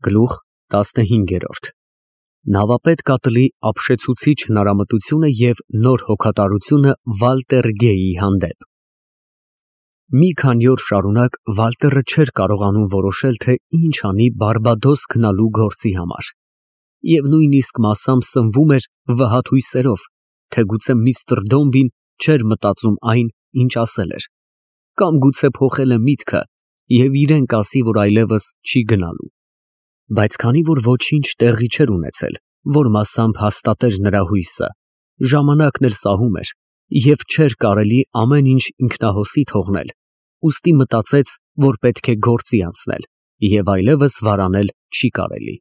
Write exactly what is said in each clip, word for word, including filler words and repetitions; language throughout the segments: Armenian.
Գլուխ տասնհինգ։ Նավապետ կատլի ապշեցուցիչ հնարամտությունը և նոր հոգատարությունը Վալտեր Գեյի հանդեպ։ Մի քանի օր շարունակ Վալտերը չէր կարողանում որոշել, թե ինչ անի Բարբադոս գնալու գործի համար, և նույնիսկ մասամբ սնվում էր վհատ հույսերով, թե գուցե միստր Դոմբին չէր մտածում այն, ինչ ասել էր, կամ գուցե փոխել է միտքը և իրան կասի, որ այլևս չի գնալու։ Բայց քանի որ ոչինչ տեղի չէր ունեցել, որ մասամբ հաստատեր նրա հույսը, ժամանակն էլ սահում էր, և չէր կարելի ամեն ինչ ինքնահոսի թողնել, ուստի մտածեց, որ պետք է գործի անցնել, և այլևս վարանել չի կարելի։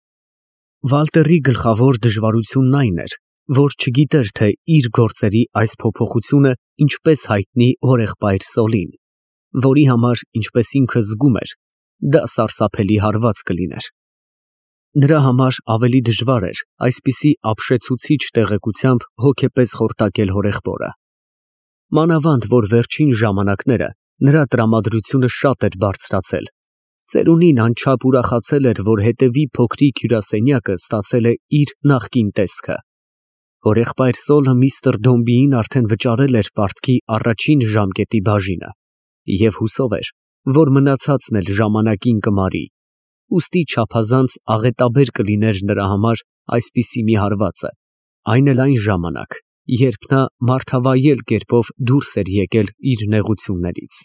Վալտերի գլխավոր դժվարությունն այն էր, որ չգիտեր, թե իր գործերի այս փոփոխությունը ինչպես հայտնի հորեղբայր Սոլին, որի համար, ինչպես ինքը զգում էր, դա սարսափելի հարված կլիներ։ Նրա համար ավելի դժվար էր այսպիսի ապշեցուցիչ տեղեկությամբ հոգեպես խորտակել հորեղբորը։ Մանավանդ որ վերջին ժամանակները նրա տրամադրությունը շատ էր բարձրացել, ծերունին անչափ ուրախացել էր, որ հետևի փոքրիկ հյուրասենյակը ստացել է իր նախկին տեսքը։ Հորեղբայր Սոլը միստր Դոմբիին արդեն վճարել էր պարտքի առաջին ժամկետի բաժինը և հուսով էր, որ մնացածն էլ ժամանակին կմարի, ուստի չափազանց աղետաբեր կլիներ նրա համար այսպիսի մի հարվածը, այն էլ այն ժամանակ, երբ նա մարդավայել կերպով դուրս էր եկել իր նեղություններից։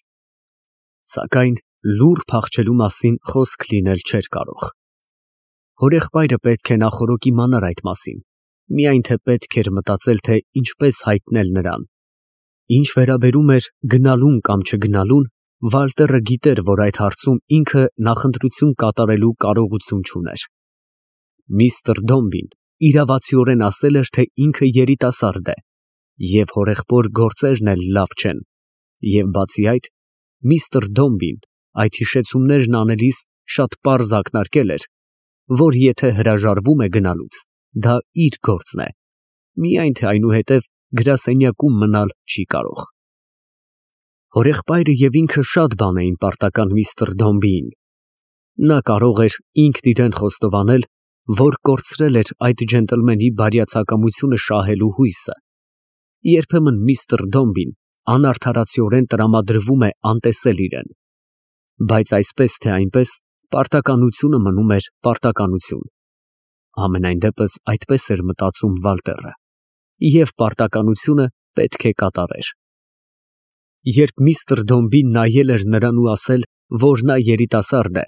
Սակայն լուռ փախչելու մասին խոսք լինել չէր կարող։ Հորեղբայրը պետք է նախօրոք իմանար այդ մասին, միայն թե պետք էր մտածել, թե ինչպես հայտնել նրան։ Ինչ վերաբերում էր գնալուն կամ չգնալուն, Վալտերը գիտեր, որ այդ հարցում ինքը նախընտրություն կատարելու կարողություն չուներ։ Միստր Դոմբին իրավացիորեն ասել էր, թե ինքը երիտասարդ է, և հորեղբոր գործերն էլ լավ չեն, և բացի այդ, միստր Դոմբին այդ հիշեցումներն անելիս շատ պարզ ակնարկել էր, որ եթե հրաժարվում է գնալուց, դա իր գործն է, միայն թե այնուհետև գրասենյակում մնալ չի կարող։ Հորեղբայրը և ինքը շատ բան էին պարտական միստր Դոմբիին։ Նա կարող էր ինքն իրան խոստովանել, որ կորցրել էր այդ ջենտլմենի բարյացակամությունը շահելու հույսը։ Երբեմն միստր Դոմբին անարդարացիորեն տրամադրվում է անտեսել իրան, բայց այսպես թե այնպես պարտականությունը մնում էր պարտականություն։ Համենայն դեպս այդպես էր մտածում Վալտերը, և պարտականությունը պետք է կատարեր։ Երբ միստր Դոմբին նայել էր նրան ու ասել, որ նա երիտասարդ է,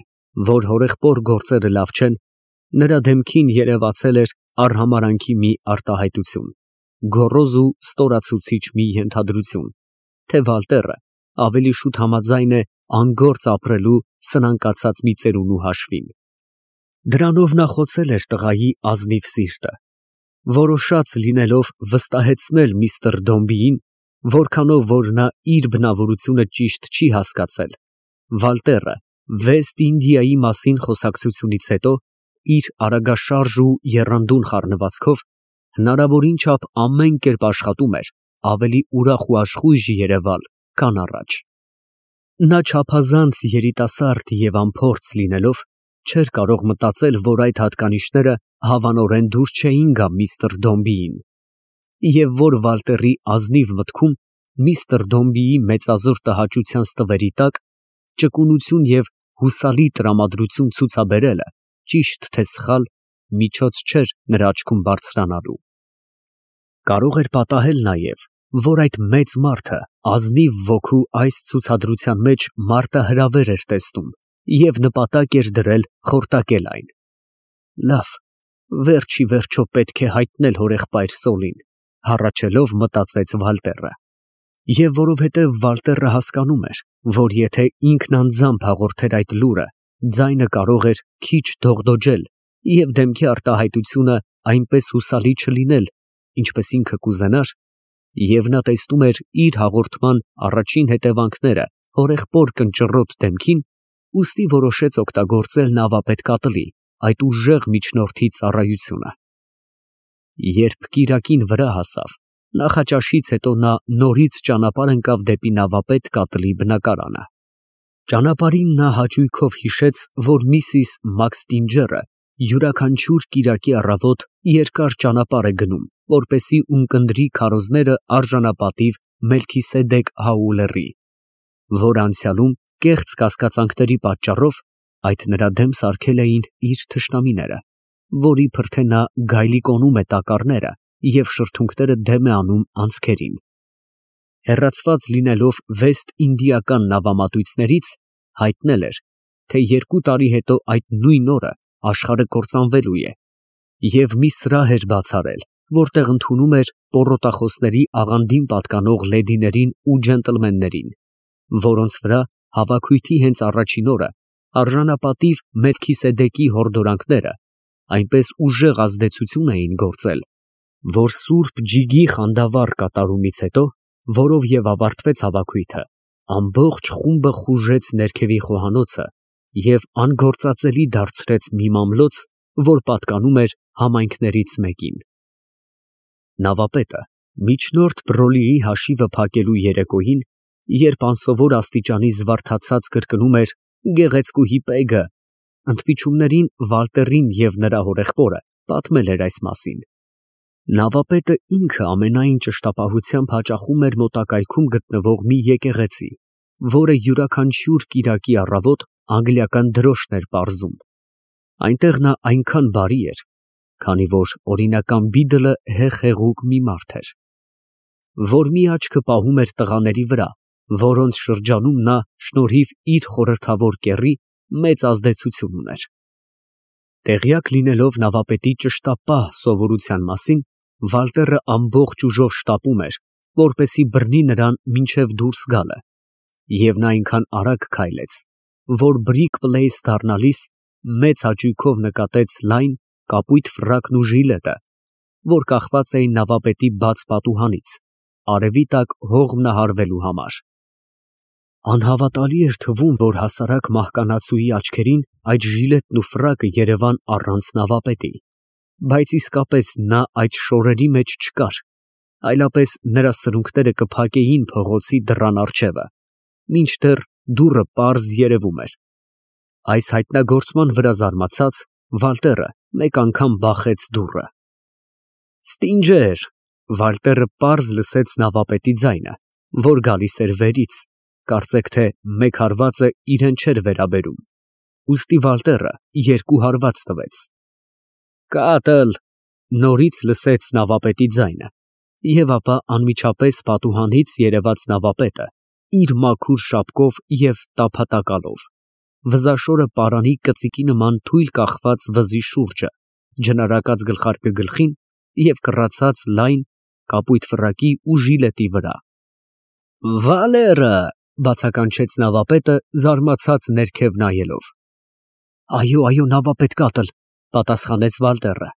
որ հորեղբոր գործերը լավ չեն, նրա դեմքին երևացել էր արհամարհանքի մի արտահայտություն, գոռոզ ու ստորացուցիչ մի ենթադրություն, թե Վալտերը ավելի շուտ համաձայն է անգործ ապրելու սնանկացած մի ծերունու հաշվին։ Դրանով նա խոցել էր տղայի ազնիվ սիրտը, որոշած լինելով վստահեցնել միստր Դոմբիին, որքանով որ նա իր բնավորությունը ճիշտ չի հասկացել, Վալտերը Վեստ Ինդիայի մասին խոսակցությունից հետո իր արագաշարժ ու եռանդուն խառնվածքով հնարավորին չափ ամեն կերպ աշխատում էր ավելի ուրախ ու աշխույժ երևալ, քան առաջ։ Նա չափազանց երիտասարդ և անփորձ լինելով, չէր կարող մտածել, որ այդ հատկանիշները հավանորեն դուր չէին գա միստր Դոմբիին, և որ Վալտերի ազնիվ մտքում միստր Դոմբիի մեծազոր տհաճության ստվերի տակ ճկունություն և հուսալի տրամադրություն ցուցաբերելը, ճիշտ թե սխալ, միջոց չէր նրա աչքում բարձրանալու։ Կարող էր պատահել նաև, որ այդ մեծ մարդը ազնիվ ոգու այս ցուցադրության մեջ մարտահրավեր էր տեսնում և նպատակ էր դրել խորտակել այն։ Լավ, վերջ ի վերջո պետք է հայտնել հորեղբայր Սոլին, հառաչելով մտածեց Վալտերը։ Եվ որովհետև Վալտերը հասկանում էր, որ եթե ինքն անձամբ հաղորդեր այդ լուրը, ձայնը կարող էր քիչ դողդոջել և դեմքի արտահայտությունը այնպես հուսալի չլինել, ինչպես ինքը կուզենար, և նա տեսնում էր իր հաղորդման առաջին հետևանքները հորեղբոր կնճռոտ դեմքին, ուստի որոշեց օգտագործել նավապետ կատլի այդ ուժեղ միջնորդի ծառայությունը։ Երբ կիրակին վրա հասավ, նախաճաշից հետո նա նորից ճանապարհ ընկավ դեպի նավապետ կատլի բնակարանը։ Ճանապարհին նա հաճույքով հիշեց, որ միսիս Մաքստինջերը Յուրաքանչյուր կիրակի առավոտ երկար ճանապարհ է գնում, որպեսզի ունկնդրի քարոզները արժանապատիվ Մելքիսեդեկ Հաուլերի, որ անցյալում կեղծ կասկածանքների պատճառով այդ նրա դեմ սարքել էին իր թշնամիները, որի փրթե նա գայլիկոնում է տակառները և շրթունքները դեմ է անում անցքերին։ Հեռացված լինելով վեստինդիական նավամատույցներից, հայտնել էր, թե երկու տարի հետո այդ նույն օրը աշխարհը կործանվելու է, և մի սրահ էր բաց արել, որտեղ ընդունում էր պոռոտախոսների աղանդին պատկանող լեդիներին ու ջենտլմեններին, որոնց վրա հավաքույթի հենց առաջին օրը արժանապատիվ Մելքիսեդեկի հորդորանքները այնպես ուժեղ ազդեցություն էին գործել, որ սուրբ ջիգի խանդավառ կատարումից հետո, որով և ավարտվեց հավաքույթը, ամբողջ խումբը խուժեց ներքևի խոհանոցը և անգործածելի դարձրեց մի մամլոց, որ պատկանում էր համայնքներից մեկին։ Նավապետը միջնորդ Բրոլիի հաշիվը փակելու երեկոյին, երբ անսովոր աստիճանի զվարթացած կրկնում էր «Գեղեցկուհի Պեգը», ընդմիջումներին Վալտերին և նրա հորեղբորը պատմել էր այս մասին։ Նավապետը ինքը ամենայն ճշտապահությամբ հաճախում էր մոտակայքում գտնվող մի եկեղեցի, որը յուրաքանչյուր կիրակի առավոտ անգլիական դրոշն էր պարզում։ Այնտեղ նա այնքան բարի էր, քանի որ օրինական Բիդլը հեղ֊հեղուկ մի մարդ էր, որ մի աչքը պահում էր տղաների վրա, որոնց շրջանում նա, շնորհիվ իր խորհրդավոր կեռի, մեծ ազդեցություն ուներ։ Տեղյակ լինելով նավապետի ճշտապահ սովորության մասին, Վալտերը ամբողջ ուժով շտապում էր, որպեսզի բռնի նրան մինչև դուրս գալը, և նա այնքան արագ քայլեց, որ Բրիկ Պլեյս դառնալիս մեծ հաճույքով նկատեց լայն, կապույտ ֆրակն ու ժիլետը, որ կախված էին նավապետի բաց պատուհանից, արևի տակ հողմնահարվելու համար։ Անհավատալի էր թվում, որ հասարակ մահկանացուի աչքերին այդ ժիլետն ու ֆրակը երևան առանց նավապետի, բայց իսկապես նա այդ շորերի մեջ չկար, այլապես նրա սրունքները կփակեին փողոցի դռան առջևը, մինչդեռ դուռը պարզ երևում էր։ Այս հայտնագործման վրա զարմացած, Վալտերը մեկ անգամ բախեց դուռը։ «Ստինջեր», Վալտերը պարզ լսեց նավապետի ձայնը, որ գալիս էր վերից, կարծեք թե մեկ հարվածը իրան չէր վերաբերում, ուստի Վալտերը երկու հարված տվեց։ «Կատլ», նորից լսեց նավապետի ձայնը, և ապա անմիջապես պատուհանից երևաց նավապետը իր մաքուր շապկով և տափատակալով, վզաշորը պարանի կծիկի նման թույլ կախված վզի շուրջը, ջնարակած գլխարկը գլխին և կռացած լայն, կապույտ ֆրակի ու ժիլետի վրա։ «Վալերը», բացականչեց նավապետը, զարմացած ներքև նայելով։ «Այո, այո, նավապետ Կատլ», պատասխանեց Վալտերը,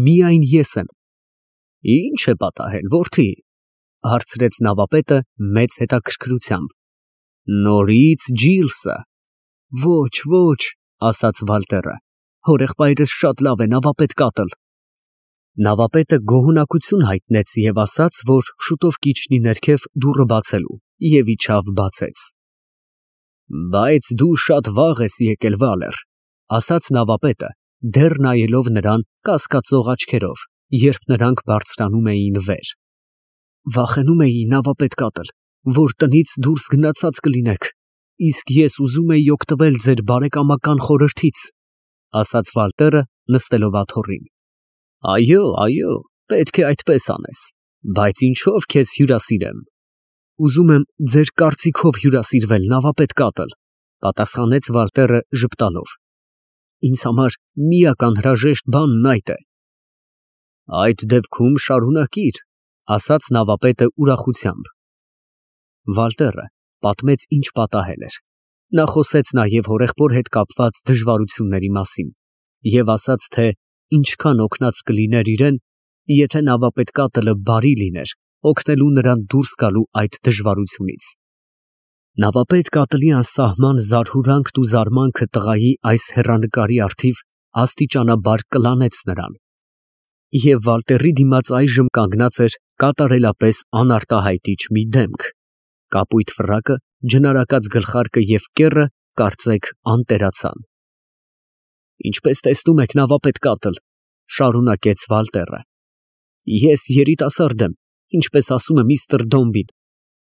«միայն ես եմ»։ «Ի՞նչ է պատահել, որդի», հարցրեց նավապետը մեծ հետաքրքրությամբ։ «Նորից Ջիլսը»։ «Ոչ, ոչ», ասաց Վալտերը, «հորեղբայրս շատ լավ է, նավապետ Կատլ»։ Նավապետը գոհունակություն հայտնեց և ասաց, որ շուտով կիջնի ներքև դուռը բացելու, և իջավ բացեց։ «Բայց դու շատ վաղ ես եկել, Վալեր», ասաց նավապետը, դեռ նայելով նրան կասկածող աչքերով, երբ նրանք բարձրանում էին վեր։ «Վախենում էի, նավապետ Կատլ, որ տնից դուրս գնացած կլինեք, իսկ ես ուզում էի օգտվել ձեր բարեկամական խորհրդից», ասաց Վալտերը, նստելով աթոռին։ «Այո, այո, պետք է այդպես անես, բայց ինչո՞վ քեզ հյուրասիրեմ»։ «Ուզում եմ ձեր կարծիքով հյուրասիրվել, նավապետ Կատլ», պատասխանեց Վալտերը ժպտալով։ «Ինձ համար միակ անհրաժեշտ բանն այդ է»։ «Այդ դեպքում շարունակիր», ասաց նավապետը ուրախությամբ։ Վալտերը պատմեց ինչ պատահել էր։ Նա խոսեց նաև հորեղբոր հետ կապված դժվարությունների մասին և ասաց, թե ինչքան օգնած կլիներ իրեն, եթե նավապետ Կատլը բարի լիներ, օգնելու նրան դուրս գալու այդ դժվարությունից։ Նավապետ Կատլի անսահման զարհուրանքն ու զարմանքը տղայի այս հեռանկարի առթիվ աստիճանաբար կլանեց նրան, և Վալտերի դիմաց այժմ կանգնած էր կատարելապես անարտահայտիչ մի դեմք, կապույտ ֆրակը, ջնարակած գլխարկը և կեռը, կարծեք անտերացան։ Ինչպես տեսնում եք, նավապետ Կատլ, շարունակեց Վալտերը, ես երիտասարդ եմ, ինչպես ասում է միստր Դոմբին,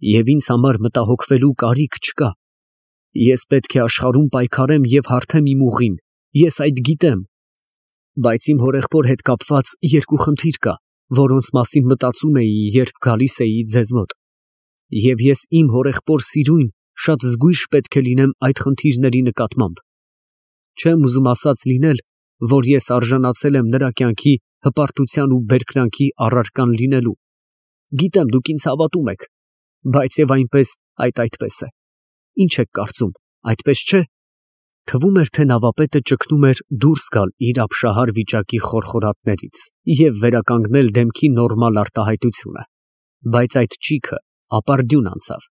և ինձ համար մտահոգվելու կարիք չկա։ Ես պետք է աշխարհում պայքարեմ և հարթեմ իմ ուղին, ես այդ գիտեմ, բայց իմ հորեղբոր հետ կապված երկու խնդիր կա, որոնց մասին մտածում էի, երբ գալիս էի ձեզ մոտ, և ես իմ հորեղբոր սիրուն շատ զգույշ պետք է լինեմ այդ խնդիրների նկատմամբ։ Չեմ ուզում ասած լինել, որ ես արժանացել եմ նրա կյանքի հպարտության ու բերկրանքի առարկան լինելու։ Գիտեմ, դուք ինձ հավատում եք, բայց և այնպես այդ այդպես է։ Ինչ եք կարծում, այդպես չէ՞։ Թվում էր, թե նավապետը ճգնում էր դուրս գալ իր ապշահար վիճակի խորխորատներից և վերականգնել դեմքի նորմալ արտահայտությունը, բայց այդ ճիգը ապարդյուն անցավ,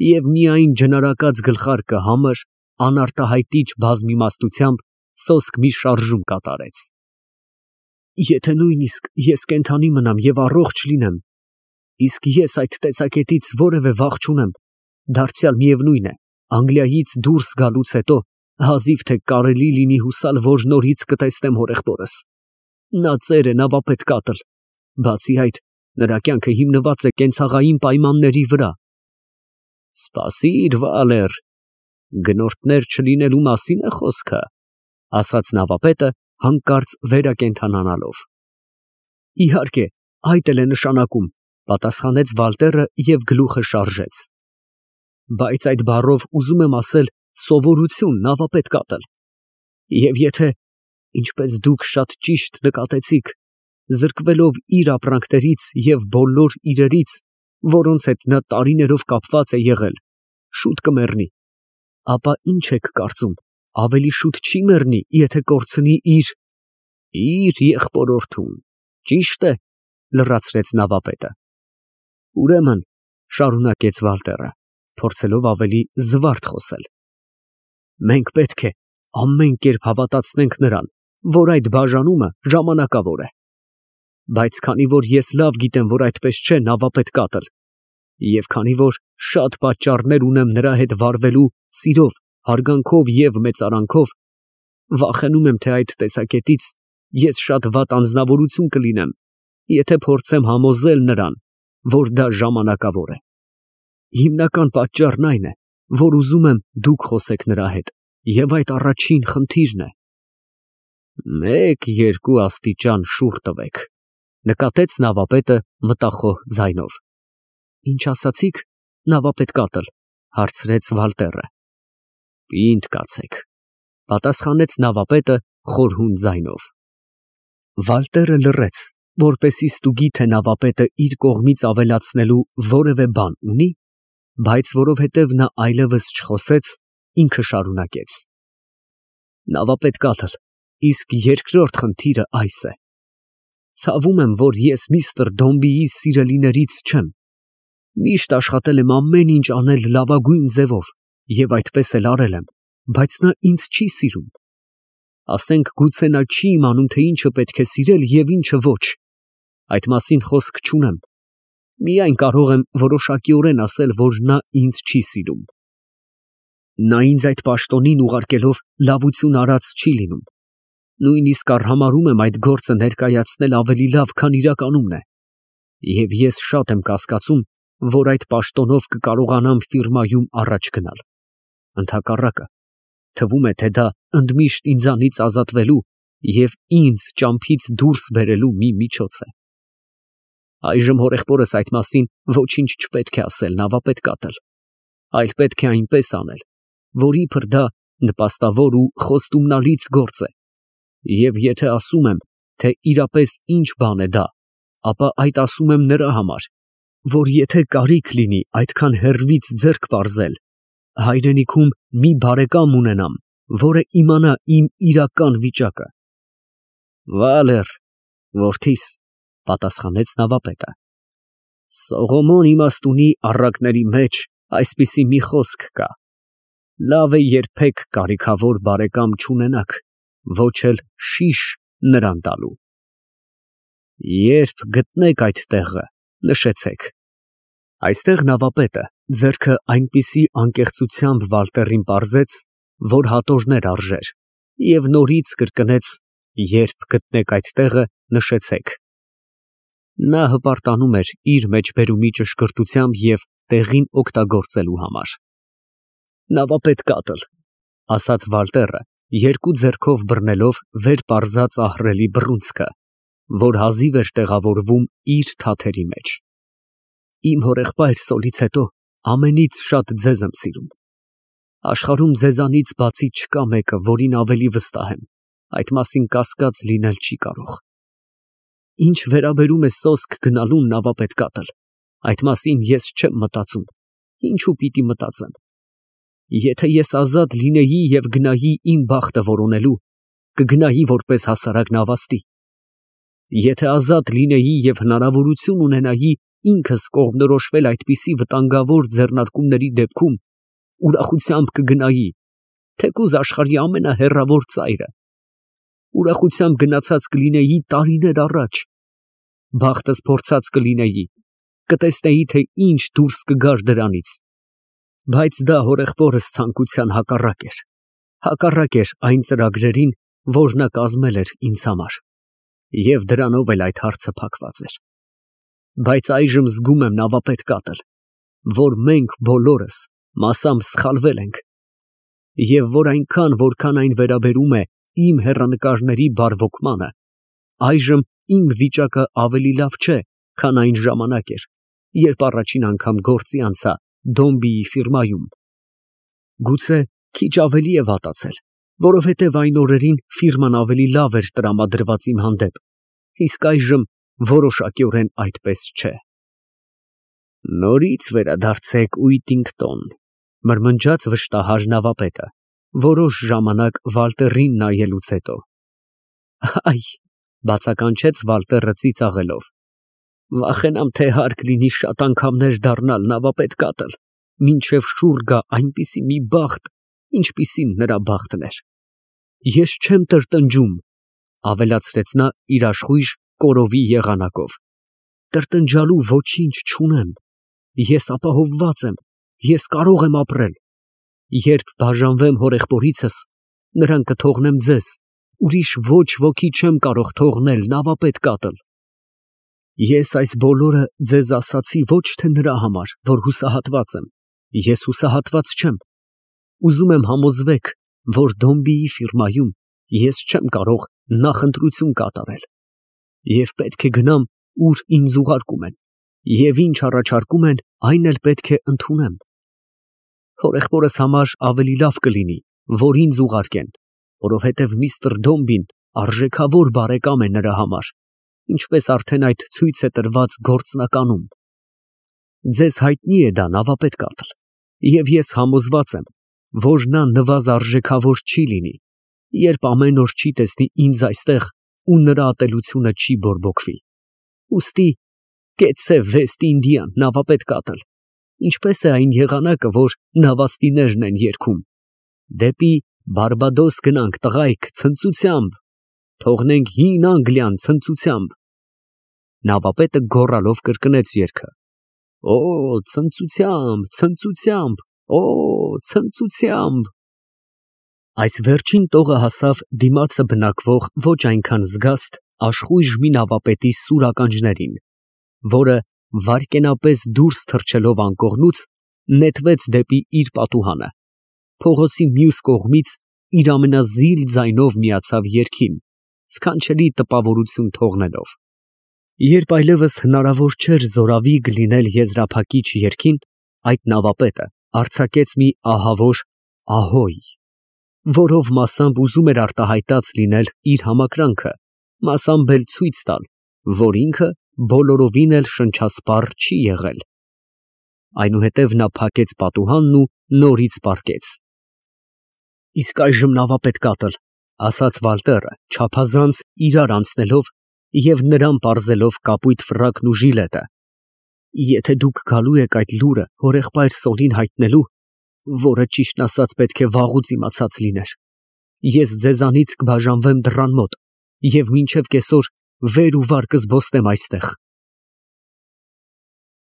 և միայն ջնարակած գլխարկը համր, անարտահայտիչ բազմիմաստությամբ սոսկ մի շարժում կատարեց։ Եթե նույնիսկ ես կենդանի մնամ և առողջ լինեմ, իսկ ես այդ տեսակետից որևէ վախ չունեմ, դարձյալ միևնույն է, Անգլիայից դուրս գալուց հետո հազիվ թե կարելի լինի հուսալ, որ նորից կտեսնեմ հորեղբորս։ Նա ծեր է, նավապետ Կատլ, բացի այդ, նրա կյանքը հիմնված է կենցաղային պայմանների վրա։ Սպասիր, Վալեր, գնորդներ չլինելու մասին է խոսքը, ասաց նավապետը, հանկարծ վերակենդանանալով։ Իհարկե, այդ էլ է նշանակում, պատասխանեց Վալտերը և գլուխը շարժեց։ Բայց այդ բառով ուզում եմ ասել սովորություն, նավապետ Կատլ, և եթե, ինչպես դուք շատ ճիշտ նկատեցիք, զրկվելով իր ապրանքներից և բոլոր իրերից, որոնց հետ նա տարիներով կապված է եղել, շուտ կմեռնի, ապա ինչ եք կարծում, ավելի շուտ չի մեռնի, եթե կորցնի իր… իր եղբորորդուն, ճի՞շտ է, լրացրեց նավապետը։ Ուրեմն, շարունակեց Վալտերը, փորձելով ավելի զվարթ խոսել, մենք պետք է ամեն կերպ հավատացնենք նրան, որ այդ բաժանումը ժամանակավոր է, բայց քանի որ ես լավ գիտեմ, որ այդպես չէ, նավապետ Կատլ, և քանի որ շատ պատճառներ ունեմ նրա հետ վարվելու սիրով, հարգանքով և մեծարանքով, վախենում եմ, թե այդ տեսակետից ես շատ վատ անձնավորություն կլինեմ, եթե փորձեմ համոզել նրան, որ դա ժամանակավոր է։ Հիմնական պատճառն այն է, որ ուզում եմ դուք խոսեք նրա հետ, և այդ առաջին խնդիրն է։ Մեկ, երկու աստիճան շուռ տվեք, նկատեց նավապետը մտախոհ ձայնով։ Ինչ ասացիք, նավապետ Կատլ, հարցրեց Վալտերը։ Պինդ կացեք, պատասխանեց նավապետը խորհուն ձայնով։ Վալտերը լռեց, որպեսզի ստուգի, թե նավապետը իր կողմից ավելացնելու որևէ բան ունի, բայց որովհետև նա այլևս չխոսեց, ինքը շարունակեց. Նավապետ Կատլ, իսկ երկրորդ խնդիրը այս է. ցավում եմ, որ ես միստր Դոմբիի սիրելիներից չեմ, միշտ աշխատել եմ ամեն ինչ անել լավագույն ձևով և այդպես էլ արել եմ, բայց նա ինձ չի սիրում։ Ասենք, գուցե նա չի իմանում, թե ինչը պետք է սիրել և ինչը ոչ, այդ մասին խոսք չունեմ, միայն կարող եմ որոշակիորեն ասել, որ նա ինձ չի սիրում։ Նա ինձ այդ պաշտոնին ուղարկելով լավություն արած չի լինում, նույնիսկ արհամարհում եմ այդ գործը ներկայացնել ավելի լավ, քան իրականում է, և ես շատ եմ կասկածում, որ այդ պաշտոնով կկարողանամ ֆիրմայում առաջ գնալ։ Ընդհակառակը, թվում է, թե դա ընդմիշտ ինձանից ազատվելու և ինձ ճամփից դուրս բերելու մի միջոց է։ Այժմ հորեղբորս այդ մասին ոչինչ չպետք է ասել, նավապետ Կատլ, այլ պետք է այնպես անել, որ իբր դա նպաստավոր ու խոստումնալից գործ է, և եթե ասում եմ, թե իրապես ինչ բան է դա, ապա այդ ասում եմ նրա համար, որ եթե կարիք լինի այդքան հեռվից ձեռք պարզել, հայրենիքում մի բարեկամ ունենամ, որը իմանա իմ իրական վիճակը։ Վալեր, որդիս, պատասխանեց նավապետը, Սողոմոն իմաստունի առակների մեջ այսպիսի մի խոսք կա. լավ է երբեք կարիքավոր բարեկամ չունենաք, ոչ էլ շիշ նրան տալու։ Երբ գտնեք այդ տեղը, նշեցեք։ Այստեղ նավապետը ձեռքը այնպիսի անկեղծությամբ Վալտերին պարզեց, որ հատորներ արժեր, Եվ նորից կրկնեց. երբ գտնեք այդ տեղը, նշեցեք։ Նա հպարտանում էր իր մեջբերումի ճշգրտությամբ և տեղին օգտագործելու համար։ Նավապետ կատլ, ասաց Վալտերը, երկու ձեռքով բռնելով վեր պարզած ահռելի բռունցքը, որ հազիվ էր տեղավորվում իր թաթերի մեջ։ Իմ հորեղբայր Սոլից հետո ամենից շատ ձեզ եմ սիրում։ Աշխարհում ձեզանից բացի չկա մեկը, որին ավելի վստահ եմ, այդ մասին կասկած լինել չի կարող։ Ինչ վերաբերում է սոսկ գնալուն, նավապետ կատլ, այդ մասին ես չեմ մտածում, ինչու պիտի մտածեմ։ Եթե ես ազատ լինեի և գնայի իմ բախտը որոնելու, կգնայի որպես հասարակ նավաստի։ Եթե ազատ լինեի և հնարավորություն ունենայի ինքս կողմնորոշվել այդպիսի վտանգավոր ձեռնարկումների դեպքում, ուրախությամբ կգնայի, թեկուզ աշխարհի ամենահեռավոր ծայրը, ուրախությամբ գնացած կլինեի տարիներ առաջ, բախտս փորձած կլինեի, կտեսնեի, թե ինչ դուրս կգար դրանից, բայց դա հորեղբորս ցանկության հակառակ էր, հակառակ էր այն ծրագրերին, որ նա կազմել էր ինձ համար, և դրանով էլ այդ հարցը փակված էր։ Բայց այժմ զգում եմ, նավապետ կատլ, որ մենք բոլորս մասամբ սխալվել ենք, և որ այնքան, որքան այն վերաբերում է իմ հեռանկարների բարվոքմանը, այժմ իմ վիճակը ավելի լավ չէ, քան այն ժամանակ էր, երբ առաջին անգամ գործի անցա Դոմբիի ֆիրմայում։ Գուցե քիչ ավելի է վատացել, որովհետև այն օրերին ֆիրման ավելի լավ էր տրամադրված իմ հանդեպ, իսկ այժմ որոշակիորեն այդպես չէ։ Նորից վերադարձեք Ուիտինգտոն, մրմնջաց վշտահար նավապետը, որոշ ժամանակ Վալտերին նայելուց հետո։ Այ, բացականչեց Վալտերը ծիծաղելով, վախենամ, թե հարկ լինի շատ անգամներ դառնալ, նավապետ կատլ, մինչև շուռ գա այնպիսի մի բախտ, ինչպիսին նրա բախտն էր։ Ես չեմ տրտնջում, ավելացրեց նա իր աշխույժ կորովի եղանակով, տրտնջալու ոչինչ չունեմ, ես ապահովված եմ, ես կարող եմ ապրել, երբ բաժանվեմ հորեղբորիցս, նրան կթողնեմ ձեզ, ուրիշ ոչ ոքի չեմ կարող թողնել, նավապետ կատլ։ Ես այս բոլորը ձեզ ասացի ոչ թե նրա համար, որ հուսահատված եմ, ես հուսահատված չեմ, ուզում եմ համոզվեք, որ Դոմբիի ֆիրմայում ես չեմ կարող նախընտրություն կատարել, և պետք է գնամ, ուր ինձ ուղարկում են, և ինչ առաջարկում են, այն էլ պետք է ընդունեմ։ Հորեղբորս համար ավելի լավ կլինի, որ ինձ ուղարկեն, որովհետև միստր Դոմբին արժեքավոր բարեկամ է նրա համար, ինչպես արդեն այդ ցույց է տրված գործնականում։ Ձեզ հայտնի է դա, նավապետ կատլ, և ես համոզված եմ, որ նա նվազարժեքավոր չի լինի, երբ ամեն օր չի տեսնի ինձ այստեղ ու նրա ատելությունը չի բորբոքվի։ Ուստի կեցցե Վեստ Ինդիան, նավապետ կատլ, ինչպես է այն եղանակը, որ նավաստիներն են երգում. դեպի Բարբադոս գնանք, տղայք, ցնծությամբ, թողնենք հին Անգլիան ցնծությամբ։ Նավապետը գոռալով կրկնեց երգը. Օ, ցնծությամբ, ցնծությամբ, օ, ցնծությամբ։ Այս վերջին տողը հասավ դիմացը բնակվող ոչ այնքան զգաստ աշխույժ մի նավապետի սուր ականջներին, որը վայրկենապես դուրս թռչելով անկողնուց, նետվեց դեպի իր պատուհանը, փողոցի մյուս կողմից իր ամենազիլ ձայնով միացավ երգին, սքանչելի տպավորություն թողնելով։ Երբ այլևս հնարավոր չէր զորավիգ լինել եզրափակիչ երգին, այդ նավապետը արձակեց մի ահավոր ահոյ, որով մասամբ ուզում էր արտահայտած լինել իր համակրանքը, մասամբ էլ ցույց տալ, որ ինքը բոլորովին էլ շնչասպառ չի եղել։ Այնուհետև նա փակեց պատուհանն ու նորից պառկեց։ Իսկ այժմ, նավապետ կատլ, ասաց Վալտերը, չափազանց իրար անցնելով և նրան պարզելով կապույտ ֆրակն ու ժիլետը, եթե դուք գալու եք այդ լուրը հորեղբայր Սոլին հայտնելու, որը ճիշտն ասած պետք է վաղուց իմացած լիներ, ես ձեզանից կբաժանվեմ դռան մոտ և մինչև կեսօր վեր ու վար կզբոսնեմ այստեղ։